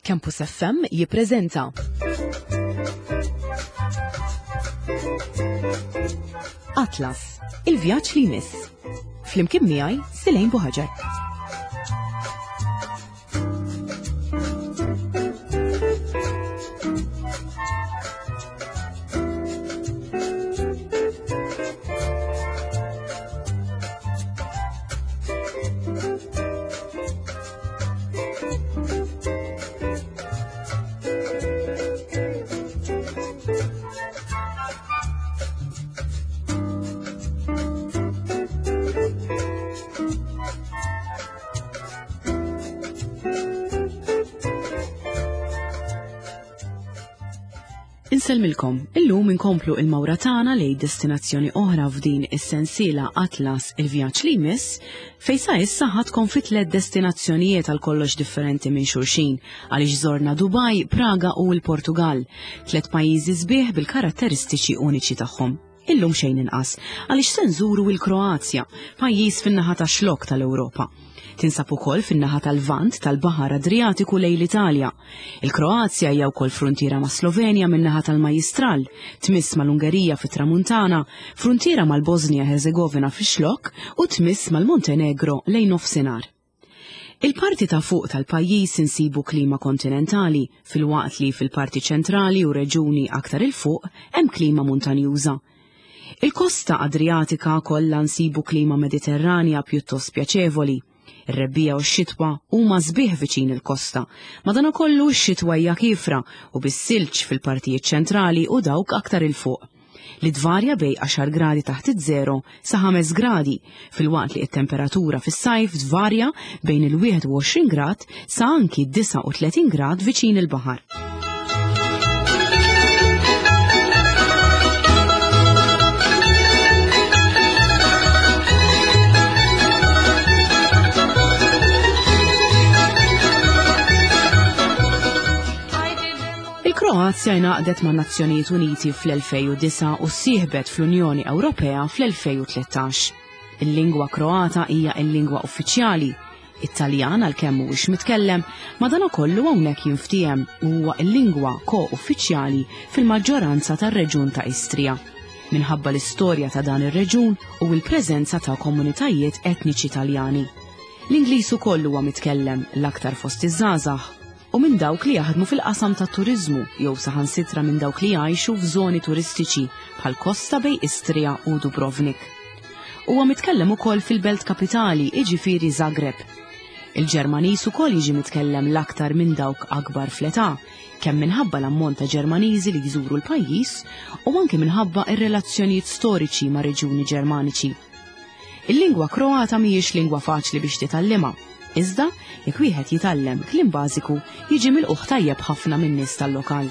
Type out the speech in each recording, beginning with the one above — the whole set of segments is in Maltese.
Campus FM jippreżenta Atlas, il-vjaġġ li jmiss. Flimkien miegħi Silejn Buħaġar. Insellmilkom, illum inkomplu il-mawra tagħna lejn destinazzjoni oħra f'din is-sensiela Atlas il-vjaġġ li jmiss, fejn sa issa ħadkom fi tliet destinazzjonijiet għal kollox differenti minn xulxin, għaliex żorna Dubai, Praga u l-Portugal, tliet pajjiżi sbieħ bil-karatteristiċi uniċi tagħhom. Illum xejn inqas, għaliex se nżuru l-Kroazja, pajjiż fin-naħa tax-xlokk tal-Ewropa. Tinsab ukoll fin-naħa tal-Lvant tal-Baħar Adrijatiku lejn l-Italja. Il-Kroazja hija wkoll fruntiera mas-Slovenja min-naħa tal-Majjistral, tmiss mal-Ungerija fit-Tramuntana, fruntiera mal-Bożnija Ħerżegovina fix-Xlokk u tmiss mal-Montenegro lejn nofsinhar. Il-parti ta' fuq tal-pajjiż insibu klima kontinentali, filwaqt li fil-parti ċentrali u reġuni aktar 'il fuq hemm klima muntanjuża. Il-kosta Adrijatika kollha nsibu klima Mediterranja pjuttost pjaċevoli. Ir-rebbiegħa u x-xitwa huma sbieħ viċin il-kosta, madankollu x-xitwa hija kiefra u bis-silġ fil-partijiet ċentrali u dawk aktar 'il fuq. li tvarja bejn għaxar gradi taħt iż-żero sa 5 gradi, filwaqt li t-temperatura fis-sajf tvarja bejn il-21 grad sa anki 39 grad viċin il-baħar. Il-Kroazja ingħaqdet man-Nazzjonijiet Uniti fl-2009 u ssieħbet fl-Unjoni Ewropea fl-2013. Il-lingwa Kroata hija l-lingwa uffiċjali. It-Taljan għalkemm mhuwiex mitkellem, madankollu hawnhekk jinftiehem u huwa l-lingwa ko-uffiċjali fil-maġġoranza tar-reġjun ta' Istria, minħabba l-istorja ta' dan ir-reġjun u l-preżenza ta' komunitajiet etniċi Taljani. L-Ingliż ukoll huwa mitkellem, l-aktar fost iż-żgħażagħ. u minn dawk li jaħdmu fil-qasam tat-turiżmu jew saħansitra minn dawk li jgħixu f'żoni turistiċi bħal kosta bejn Istria u Dubrovnik. Huwa mitkellem ukoll fil-belt kapitali, jiġifieri Zagreb. Il-Ġermaniż ukoll jiġi mitkellem l-aktar minn dawk akbar fl-età, kemm minħabba l-ammont ta' Ġermaniżi li jżuru l-pajjiż u anke minħabba r-relazzjonijiet storiċi ma' reġjuni Ġermaniċi. Il-lingwa Kroata mhijiex lingwa faċli biex titgħallimha. Iżda, jekk wieħed jitgħallem kliem bażiku, jiġi milqugħ tajjeb ħafna min-nies tal-lokal.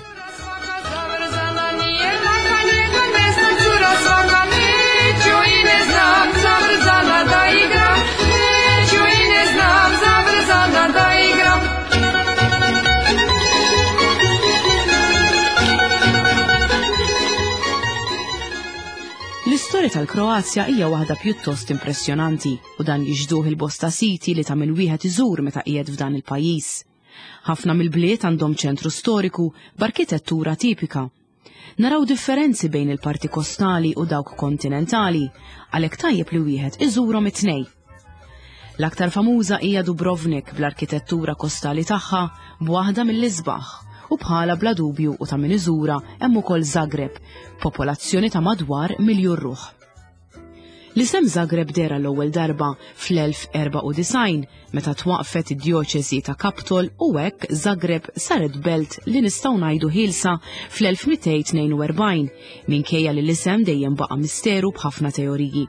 L-istorja tal-Kroazja hija waħda pjuttost impressjonanti u dan jixhduh il-bosta siti li ta' min wieħed iżur meta qiegħed f'dan il-pajjiż. Ħafna mill-bliet għandhom ċentru storiku b'arkitettura tipika. Naraw differenzi bejn il-parti kostali u dawk kontinentali, għalhekk tajjeb li wieħed iżurhom it-tnej. L-aktar famuża hija Dubrovnik bl-arkitettura kostali tagħha b'waħda mill-isbaħ u bħala bla dubju u ta' min iżura hemm ukoll Zagreb, popolazzjoni ta' madwar miljun ruħ. L-isem Zagreb dera l-ewwel darba fl-1094 meta twaqfet id-djoċesi ta' Kaptol u hekk Zagreb saret belt li nistgħu ngħidu ħielsa fl-1242 minkejja li l-isem dejjem baqa' misteru b'ħafna teoriji.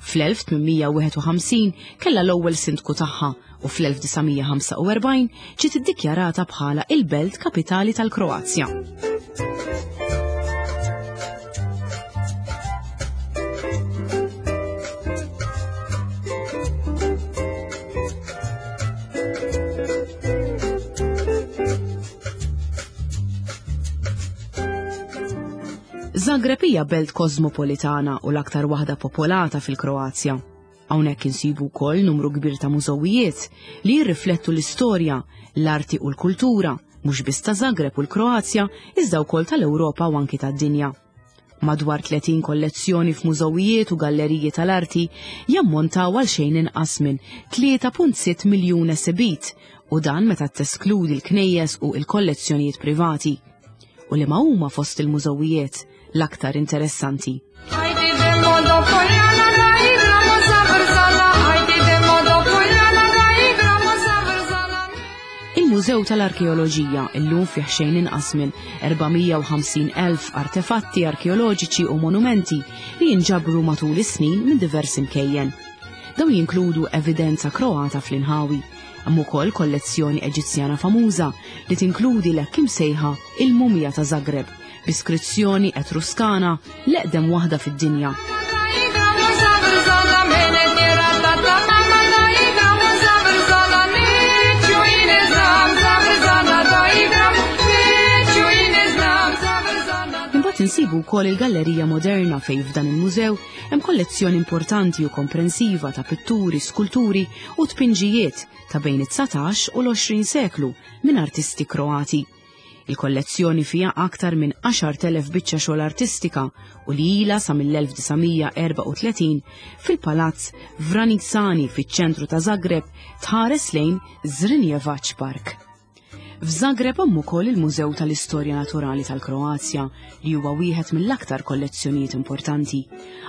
Fl-1851 kellha l-ewwel sindku tagħha u fl-1945 ġiet iddikjarata bħala il-belt kapitali tal-Kroazja. Zagreb hija belt kosmopolitana u l-aktar waħda popolata fil-Kroazja. Hawnhekk insibu wkoll numru kbir ta' mużewijiet li jirriflettu l-istorja, l-arti u l-kultura, mhux biss ta' Zagreb u l-Kroazja, iżda wkoll tal-Ewropa u anki tad-dinja. Madwar 30 kollezzjoni f'mużewijiet u galleriji tal-arti jammontaw għal xejn inqas minn 3.6 miljun esibit u dan meta teskludi l-knejjes u l-kollezzjonijiet privati. U li ma huma fost il-mużewijiet l-aktar interessanti. Il-Mużew tal-Arkeoloġija illum fih xejn inqas minn 450,000 artefatti arkeoloġiċi u monumenti li jinġabru matul is-snin minn diversi mkejjen. Dawn jinkludu evidenza Kroata fl-inħawi, hemm ukoll kollezzjoni Eġizzjana famuża li tinkludi l-hekk imsejħa il-Mumja ta' Zagreb, b'iskrizzjoni Etruskana l-eqdem waħda fid-dinja. Imbagħad insibu wkoll il-Gallerija Moderna fejn f'dan il-mużew hemm kollezzjoni importanti u komprensiva ta' pitturi, skulturi u tpinġijiet ta' bejn it-19 u l-20 seklu minn artisti Kroati. Il-kollezzjoni fiha aktar minn 10,000 biċċa xogħol artistika u li ilha sa mill-1934 fil-Palazz Vranitsani fiċ-ċentru ta' Zagreb tħares lejn Zrinjevac Park. F'Zagreb hemm ukoll il-Mużew tal-Istorja Naturali tal-Kroazja li huwa wieħed mill-aktar kollezzjonijiet importanti.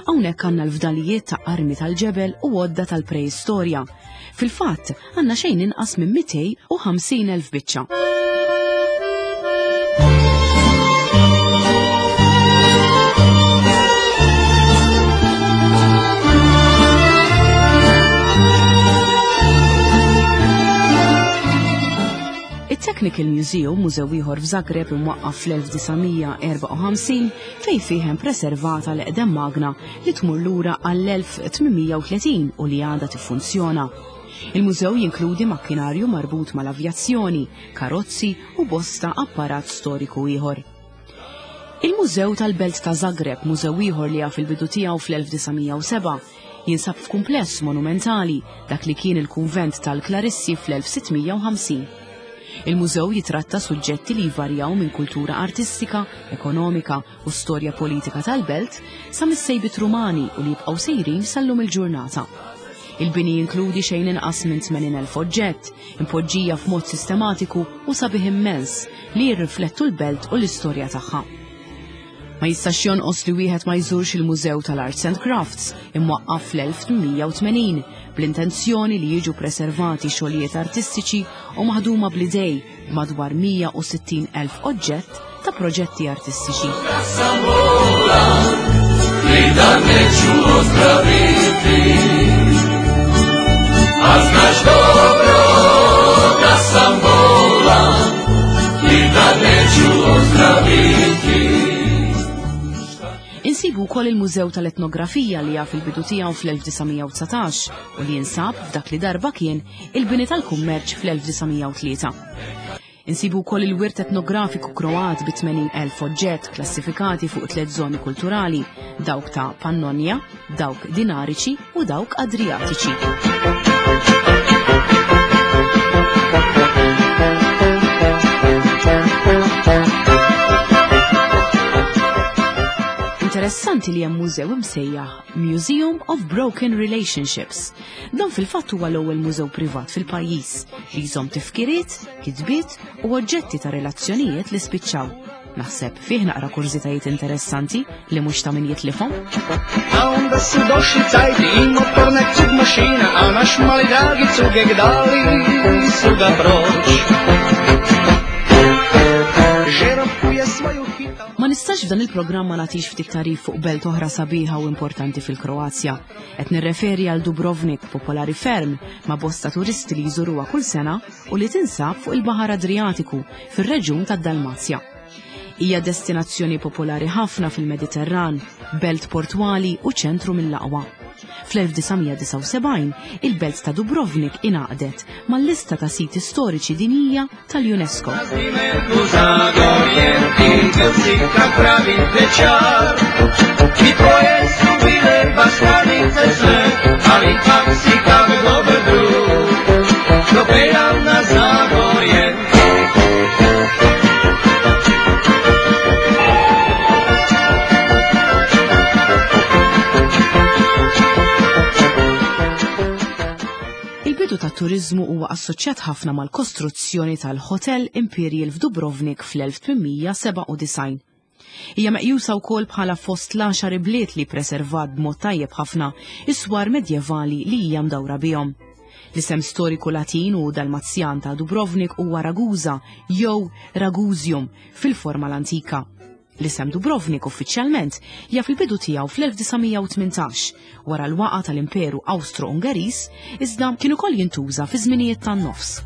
Hawnhekk għandna l-fdalijiet ta' armi tal-ġebel u għodda tal-preistorja. Fil-fatt, għandna xejn inqas minn 250,000 biċċa. It-Technical Museum, mużew ieħor f'Zagreb imwaqqaf fl-1954 fejn fih hemm preservata l-eqdem magna li tmur lura għall-1830 u li għadha tiffunzjona. Il-mużew jinkludi makkinarju marbut mal-avjazzjoni, karozzi u bosta apparat storiku ieħor. Il-Mużew tal-Belt ta' Zagreb, mużew ieħor li jaf il-bidu tiegħu fl-1907, jinsab f'kumpless monumentali dak li kien il-kunvent tal-Klarissi fl-1650. Il-mużew jitratta suġġetti li jvarjaw minn kultura artistika, ekonomika u storja politika tal-belt sa mis-sejbiet Rumani u li jibqgħu sejrin sal-lum il-ġurnata. Il-bini jinkludi xejn inqas minn 80,000 oġġett, impoġġija f'mod sistematiku u sabiħ immens li jirriflettu l-belt u l-istorja tagħha. Ma jistax jonqos li wieħed ma jżurx il-Mużew tal-Arts and Crafts imwaqqaf fl-1880 bl-intenzjoni li jiġu preservati xogħlijiet artistiċi u maħduma bl-idej b'madwar 160,000 oġġett ta' proġetti artistiċi. Insibu wkoll il-Mużew tal-Etnografija li jaf il-bidu tiegħu fl-1919 u li jinsab f'dak li darba kien il-bini tal-kummerċ fl-1903. Insibu wkoll il-wirt etnografiku Kroat bi 80,000 oġġett klassifikati fuq tliet żoni kulturali, dawk ta' Pannonja, dawk Dinariċi u dawk Adriatiċi. Interessanti li hemm mużew imsejjaħ Museum of Broken Relationships. Dan fil-fatt huwa l-ewwel mużew privat fil-pajjiż li jżomm tifkiriet, kitbiet u oġġetti ta' relazzjonijiet li spiċċaw. Naħseb fih naqra kurżitajiet interessanti li mhux ta' min jitlifhom. A onda su došli cajti i motorna cug mašina, a naš mali dragi cugek dali su ga proć. Žerobku je svoju hitao. Ma nistax f'dan il-programm ma nagħtix ftit tarif fuq belt oħra sabiħa u importanti fil-Kroazja. Qed nirreferi għal Dubrovnik, popolari ferm ma' bosta turisti li jżuruha kull sena u li tinsab fuq il-Baħar Adriatiku fir-reġjun tad-Dalmazja. Hija destinazzjoni popolari ħafna fil-Mediterran, belt portwali u ċentru mill-aqwa. Fl-1979, il-belt ta' Dubrovnik ingħaqdet mal-lista ta' siti storiċi dinjija tal-UNESCO. It-turiżmu huwa assoċjat ħafna mal-kostruzzjoni tal-Hotel Imperial f'Dubrovnik fl-1897. Hija meqjusa wkoll bħala fost l-għaxar ibliet li preservat b'mod tajjeb ħafna is-swar medjevali li hija mdawra bihom. L-isem storiku Latin u Dalmazjan ta' Dubrovnik huwa Ragusa jew Ragusium fil-forma l-antika. L-isem Dubrovnik uffiċjalment jaf il-bidu tiegħu fl-1918 wara l-waqa tal-Imperu Awstro-Ungeriż iżda kien ukoll jintuża fi żminijiet tan-nofs.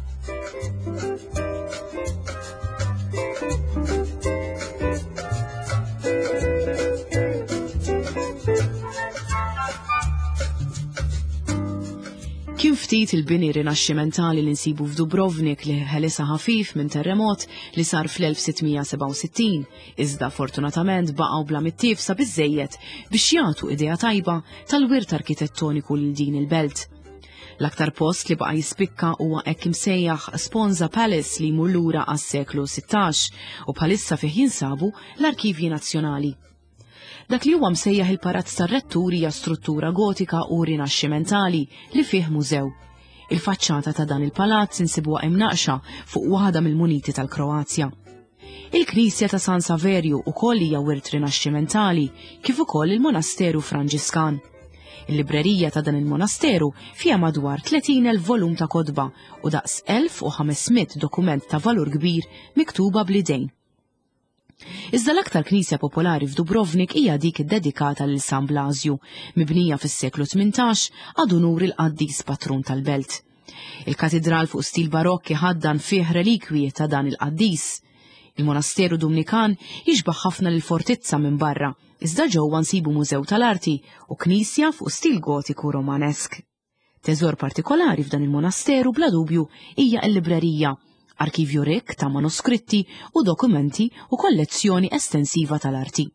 Kien ftit il-bini rinaxximentali li nsibu f'Dubrovnik li ħelisa ħafif minn terremot li sar fl-1667, iżda fortunatament baqgħu bla mittiefsa biżejjed biex jagħtu idea tajba tal-wirt arkitettoniku lil din il-belt. L-aktar post li baqa' jispikka huwa hekk imsejjaħ Sponza Palace li jmur lura għas-seklu 16 u bħalissa fih jinsabu l-Arkivji Nazzjonali. Dak li huwa msejjaħ il-Palazz tar-Rettur hija struttura gotika u rinaxximentali li fih mużew. Il-faċċata ta' dan il-palazz insibuha imnaqxa fuq waħda mill-muniti tal-Kroazja. Il-Knisja ta' San Saverju ukoll hija wirt rinaxximentali kif ukoll il-Monasteru Franġiskan. Il-librerija ta' dan il-monasteru fiha madwar 30,000 volum ta' kotba u daqs 1500 dokument ta' valur kbir miktuba bl-idejn. Iżda l-aktar knisja popolari f'Dubrovnik hija dik iddedikata lil San Blasju, mibnija fis-seklu 18 ad unur il-qaddis patrun tal-belt. Il-katidral fuq stil barokk iħaddan fih relikwi ta' dan il-qaddis. Il-monasteru Dumnikan jixbaħ ħafna lil fortizza minn barra, iżda ġewwa nsibu mużew tal-arti u knisja fuq stil gotiku romanesk. Teżor partikolari f'dan il-monasteru bla dubju hija l-librerija, arkivju rikk ta' manuskritti u dokumenti u kollezzjoni estensiva tal-arti.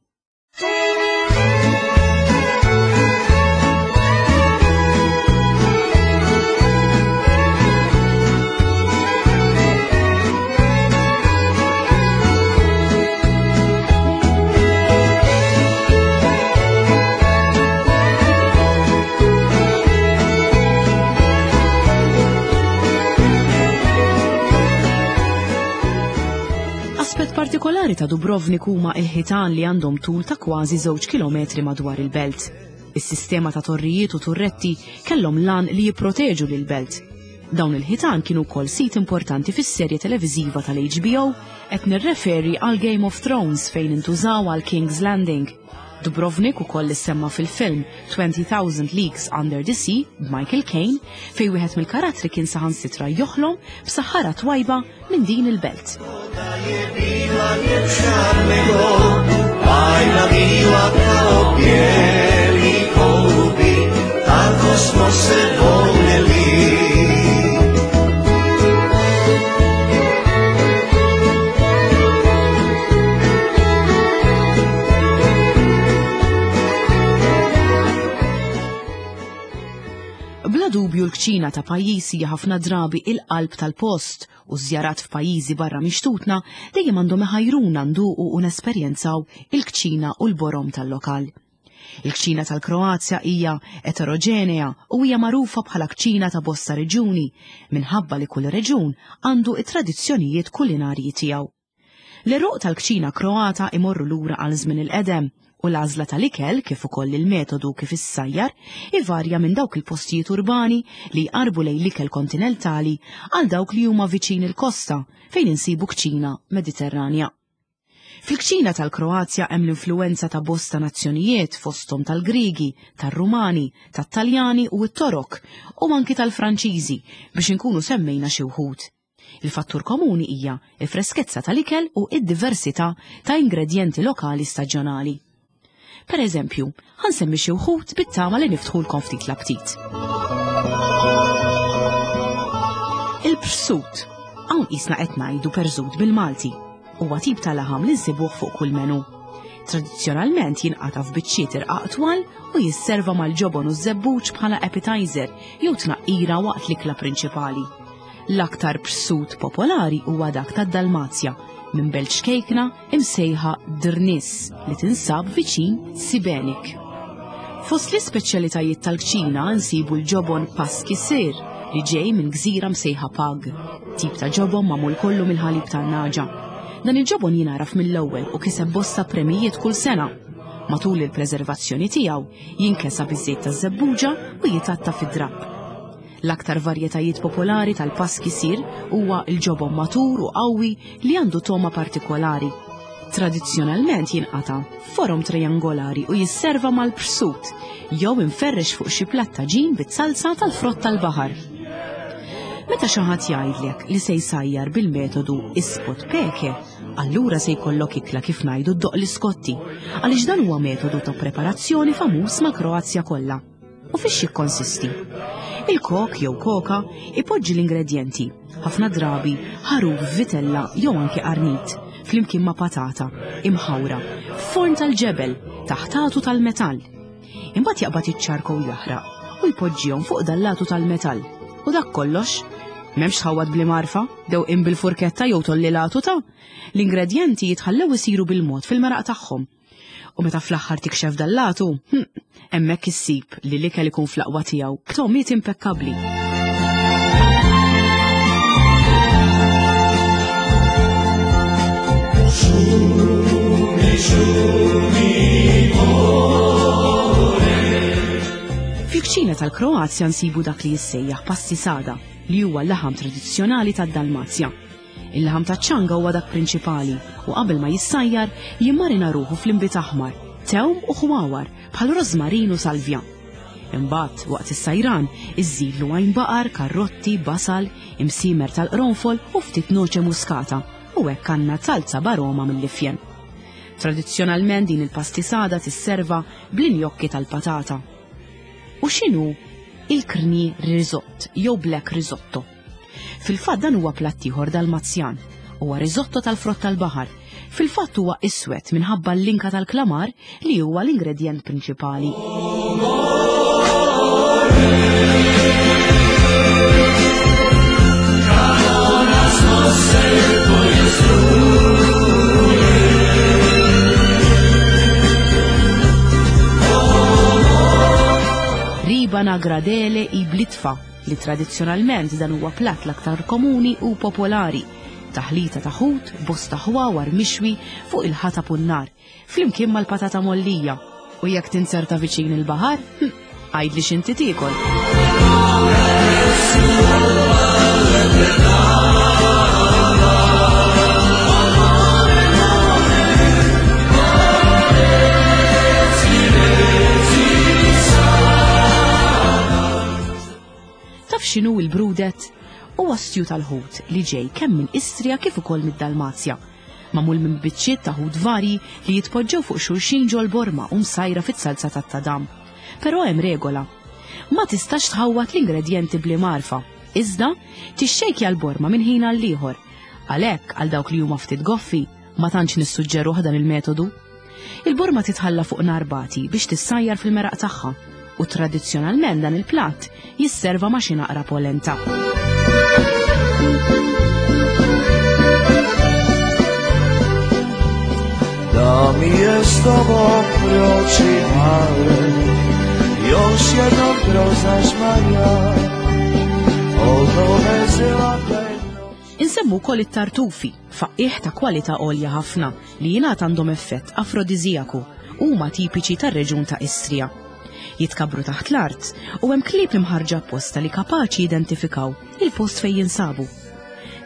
Aspett partikolari ta' Dubrovnik huma il-ħitan li għandhom tul ta' kważi żewġ kilometri madwar il-belt. Is-sistema ta' torrijiet u turretti kellhom lan li jipproteġu lil belt. Dawn il-ħitan kienu wkoll sit importanti fis-serje televiżiva tal-HBO qed nirreferi għal Game of Thrones fejn intużaw għal King's Landing. Dubrovnik ukoll issemma fil-film 20,000 Leagues Under the Sea b'Michael Caine fejn wieħed mill-karattri kien saħansitra joħlom b'saħħara twajba minn din il-belt. Bla dubju l-kċina ta' pajjiż hija ħafna drabi il-qalb tal-post u żjarat f'pajjiżi barra mixtutna dejjem għandhom iħajruna nduqu u nesperjenzaw il-kċina u l-borom tal-lokal. Il-kċina tal-Kroazja hija eteroġenea u hija magħrufa bħala kċina ta' bosta reġjuni minħabba li kull reġjun għandu t-tradizzjonijiet kulinarji tiegħu. L-għeruq tal-kċina Kroata imorru lura għal żmien il-qedem u l-għażla tal-ikel kif ukoll il-metodu kif issajjar ivarja minn dawk il-postijiet urbani li jqarrbu lejn l-ikel kontinentali għal dawk li huma viċin il-kosta fejn insibu kċina Mediterranja. Fil-kċina tal-Kroazja hemm l-influwenza ta' bosta nazzjonijiet fosthom tal-Griegi, tar-Rumani, tat-Taljani u t-Torok u anki tal-Franċiżi biex inkunu semmejna xi wħud. Il-fattur komuni hija l-freskezza tal-ikel u d-diversità ta' ingredjenti lokali staġjonali. Per eżempju, ħansemmi xi wħud bit-tama li niftħulkom ftit l-aptit. Il-prsut. Hawn qisna qed ngħidu perżut bil-Malti. Huwa tip ta' laħam li nsibuh fuq kull menu. Tradizzjonalment jinqata' f'biċċiet irqaq twal u jisserva mal-ġobon u ż-żebbuġ bħala appetizer jew tnaqqira waqt l-ikla prinċipali. L-aktar prsut popolari huwa dak tad-Dalmazja, minn belt xkejkna imsejħa Drnis li tinsab viċin Sibenik. Fost l-ispeċjalitajiet tal-kċina nsibu l-ġobon Paski Sir li ġej minn gżira msejħa Pag, tip ta' ġobon magħmul kollu mill-ħalib tan-nagħġa. Dan il-ġobon jingħaraf mill-ewwel u kiseb bosta premijiet kull sena. Matul il-preservazzjoni tiegħu jinkesa biż-żejt taż-żebbuġa u jitatta fid-drapp. L-aktar varjetajiet popolari tal-paski sir huwa l-ġobon matur u qawwi li għandu togħma partikolari. Tradizzjonalment jinqata' f'forom triangolari u jisserva mal-prsut jew imferrex fuq xi platt taġin bit-salsa tal-frott tal-baħar. Meta xi ħadd jgħidlek li se jsajjar bil-metodu ispot peke, allura se jkollok ikla kif ngħidu ddoqq l-iskotti, għaliex dan huwa metodu ta' preparazzjoni famuż mal-Kroazja kollha. U fiex jikkonsisti? Il-kok jew koka ipoġġi l-ingredjenti, ħafna drabi ħaruf vitella jew anke qarnit, flimkien ma' patata, imħawra, f'forn tal-ġebel, taħt għatu tal-metall. Imbagħad jaqbad iċ-ċarkow jaħraq u jpoġġihom fuq dal-latu tal-metall. U dak kollox. M'hemmx tħawwad bl-imgħarfa, dewqien bil-furketta jew tolli l-għatu ta' L-ingredjenti jitħallew isiru bil-mod fil-meraq tagħhom. U meta fl-aħħar tikxef dal-latu, hemmhekk issib li l-ikel ikun fl-aqwa tiegħu b'togħmiet impekkabbli. Fil-kċina tal-Kroazja nsibu dak li jissejjaħ pasti sada, li huwa l-laħam tradizzjonali tad-Dalmazja. Il-laħam taċ-ċanga huwa dak prinċipali u qabel ma jissajjar jimmarina ruħu fl-inbid aħmar, tewm u ħwawar bħal rożmarin u salvja. Imbagħad, waqt is-sajran, iżżidlu għajn baqar, karrotti, basal, imsiemer tal-qronfol u ftit noċe muskata u hekk għandna salza b'aroma mill-ifjen. Tradizzjonalment din il-pastisada tisserva bl-injokki tal-patata. U x'inhu il-krni risott jew black risotto? Fil-fatt dan huwa platt ieħor Dalmazjan. Huwa risotto tal-frott tal-baħar. Fil-fatt huwa iswed minħabba l-linka tal-klamar li huwa l-ingredjent prinċipali. Riba nagradele i blitfa li tradizzjonalment dan huwa platt l-aktar komuni u popolari, taħlita ta' ħut, bosta ħwawar mixwi fuq il-ħatab u n-nar, flimkien mal-patata mgħollija. U jekk tinzerta viċin il-baħar, hm, għidli x'inti tiekol. Taf x'inhu l-brudet? Huwa stew tal-ħut li ġej kemm minn Istria kif ukoll mid-Dalmazja. Magħmul minn biċċiet ta' ħut varji li jitpoġġew fuq xulxin ġol-borma u msajra fit-salza tat-tadam. Però hemm regola. Ma tistax tħawwad l-ingredjenti bl-imgħarfa. Iżda, tixxejkja l-borma minn ħin għall-ieħor. Għalhekk, għal dawk li huma ftit goffi, ma tantx nissuġġeruh dan il-metodu. Il-borma titħalla fuq nar bati biex tissajjar fil-meraq tagħha u tradizzjonalment dan il-platt jisserva ma' xi naqra polenta. Da mi je s tobom proći male, još jednom kroz naš Marija, Insemmu wkoll it-tartufi, faqqiegħ ta' kwalità għolja ħafna li jingħad għandhom effett afrodiżijaku u huma tipiċi tar-reġjun ta' Istria. Jitkabbru taħt l-art u hemm klieb imħarrġa apposta li kapaċi jidentifikaw il-post fejn jinsabu.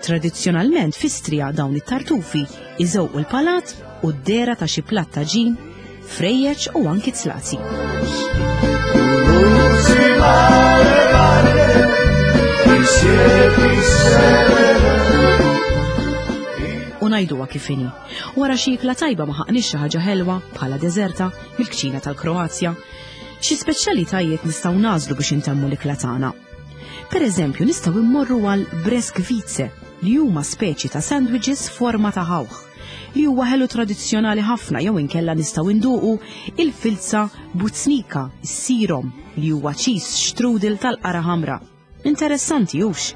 Tradizzjonalment f'Istria dawn it-tartufi iżewqu l-palat u d-dehra ta' xi platt taġin, frejjeġ u anki zlazi. U ngħiduha kif inhi. Wara xi ikla tajba ma ħaqniex xi ħaġa ħelwa bħala deżerta mill-kċina tal-Kroazja. Xi speċjalitajiet nistgħu nagħżlu biex intemmu l-ikla tagħna. Per eżempju, nistgħu immorru għal breskvice li huma speċi ta' sandwiches forma ta' ħawħ li huwa ħelu tradizzjonali ħafna jew inkella nistgħu nduqu il-filza bucnika, is-sirom, li huwa cheese strudel tal-qara ħamra. Interessanti hux?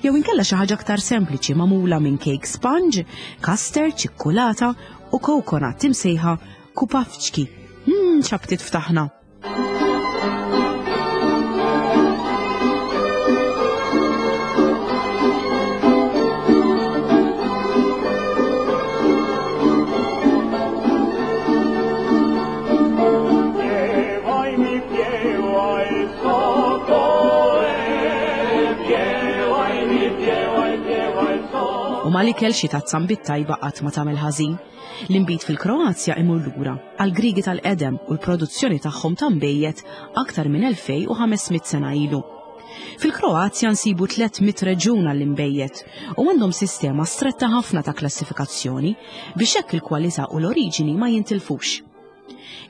Jew inkella xi ħaġa aktar sempliċi magħmula minn cake sponge, custard, ċikkulata u coconut imsejħa kupavċki. X'aptit ftaħna! Mal-ikel xi tazza nbid tajba qatt ma tagħmel ħażin. L-inbid fil-Kroazja imur lura għall-Griegi tal-qedem u l-produzzjoni tagħhom ta' nbejjed aktar minn 2500 sena ilu. Fil-Kroazja nsibu 300 reġjun għall-inbejjed u għandhom sistema stretta ħafna ta' klassifikazzjoni biex hekk il-kwalità u l-oriġini ma jintilfux.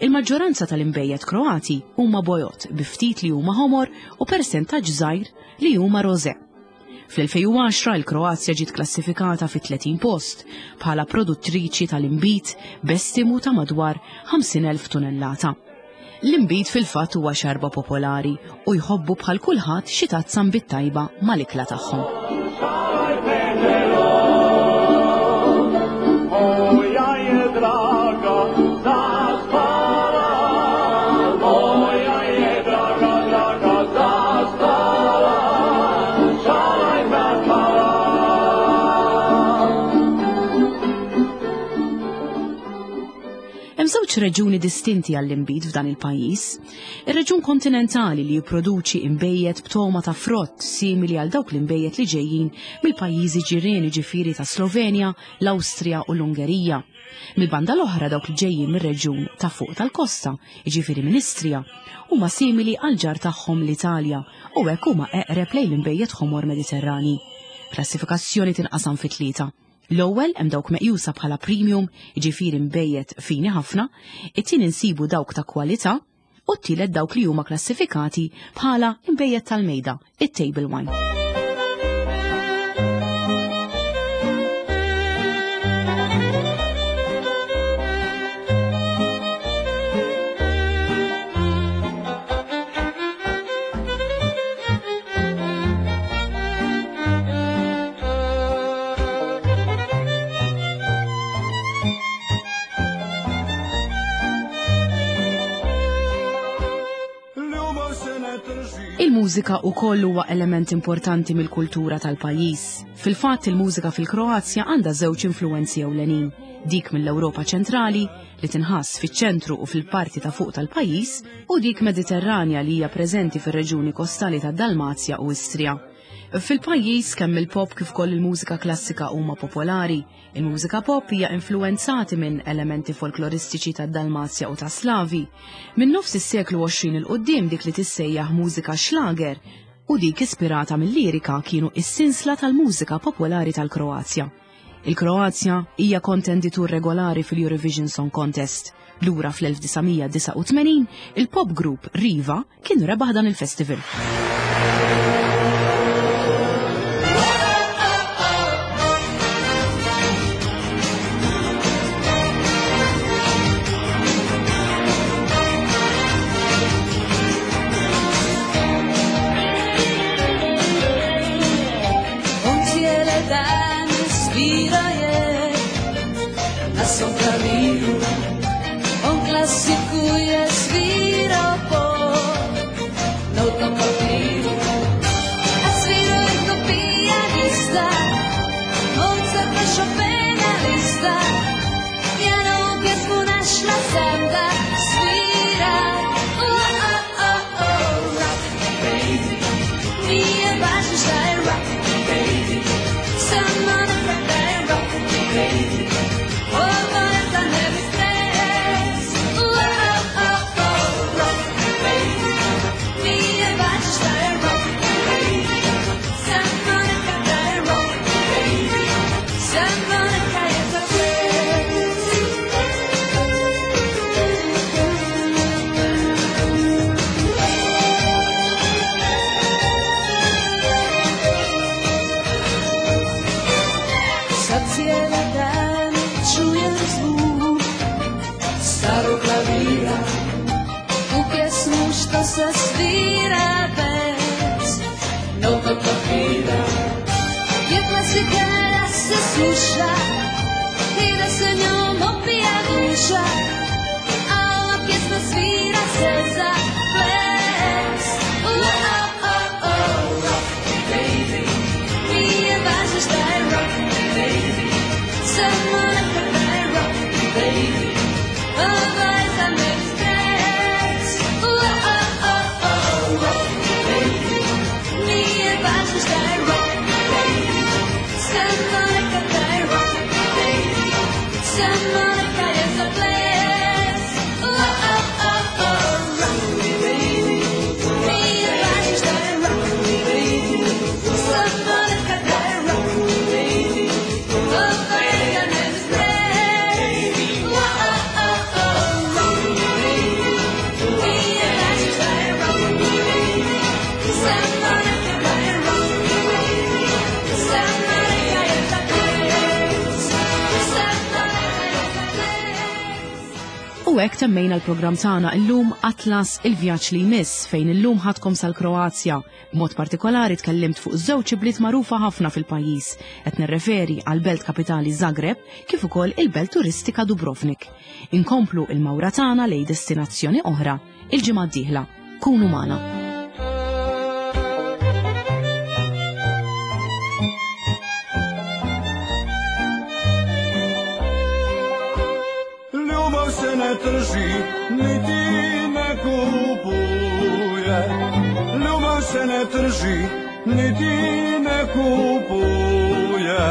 Il-maġġoranza tal-inbejjed Kroati huma bojod bi ftit li huma ħomor u persentaġġ żgħir li huma rożè. Fl-2010 il-Kroazja ġiet klassifikata fit-30 post bħala produttriċi tal-inbid b'estimu ta' madwar 50,000 tunellata. L-inbid fil-fatt huwa xarba popolari u jħobbu bħal kulħadd xi tazza nbid tajba mal-ikla tagħhom. Hemm żewġ reġuni distinti għall-inbid f'dan il-pajjiż. Ir-reġun kontinentali li jipproduċi inbejjed b'togħma ta' frott simili għal dawk l-inbejjed li ġejjin mill-pajjiżi ġirien jiġifieri ta' Slovenja, l-Awstrija u l-Ungerija. Mill-banda l-oħra dawk li ġejjin mir-reġjun ta' fuq tal-kosta, jiġifieri minn Istria, huma simili għall-ġar tagħhom l-Italja u hekk huma eqreb lejn l-inbejjed ħomor Mediterrani. Klassifikazzjoni tinqasam fi tlieta. L-ewwel hemm dawk meqjusa bħala premium, jiġifieri nbejjed fini ħafna, it-tieni nsibu dawk ta' kwalità u t-tielet dawk li huma klassifikati bħala nbejjed tal-mejda, it-table wine. Il-mużika wkoll huwa element importanti mill-kultura tal-pajjiż. Fil-fatt il-mużika fil-Kroazja għandha żewġ influwenzi ewlenin, dik mill-Ewropa ċentrali li tinħass fiċ-ċentru u fil-parti ta' fuq tal-pajjiż u dik Mediterranja li hija preżenti fir-reġjuni kostali tad-Dalmazja u Istria. Fil-pajjiż kemm il-pop kif ukoll il-mużika klassika huma popolari. Il-mużika pop hija influwenzati minn elementi folkloristiċi tad-Dalmazja u tas-Slavi. Minn nofs is-seklu 20 'il quddiem dik li tissejjaħ mużika Schlager u dik ispirata mil-lirika kienu s-sinsla tal-mużika popolari tal-Kroazja. Il-Kroazja hija kontenditur regolari fil-Eurovision Song Contest. Lura fl-1989, il-pop group Riva kien rebaħ dan il-festival. Rock, baby. Samo neka je za ples. Oh, oh, oh, oh, rock me baby. Nije važno šta je rock me baby. Samo neka daj rock me baby. Oh, neka ne stres. Oh, oh, oh, oh, rock me baby. Nije važno šta je rock me baby. Samo neka daj rock me baby. Samo neka je za ples. Samo neka je za ples. U hekk temmejna l-programm tagħna illum Atlas il-vjaġġ li jmiss fejn illum ħadkom sal-Kroazja. B'mod partikolari tkellimt fuq żewġ ibliet magħrufa ħafna fil-pajjiż. Qed nirreferi għal belt kapitali Zagreb kif ukoll il-belt turistika Dubrovnik. Inkomplu il-mawra tagħna lejn destinazzjoni oħra il-ġimgħa d-dieħla. Kunu magħna. Ljubav se ne trži, niti ne kupuje. Ljubav se ne trži, niti ne kupuje.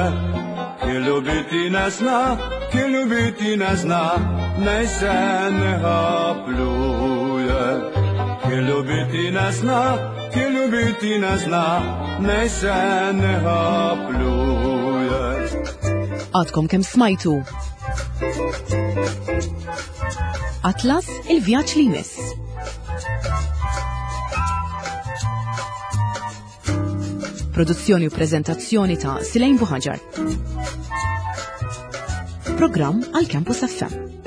Ki ljubiti ne zna, ki ljubiti ne zna, naj se ne pluje. Ki ljubiti ne zna, ki ljubiti ne zna, naj se ne pluje. Għadkom kemm smajtu. Atlas il-vjaġġ li jmiss. Produzzjoni u prezentazzjoni ta' Silejn Buħaġar. Programm għal Campus FM.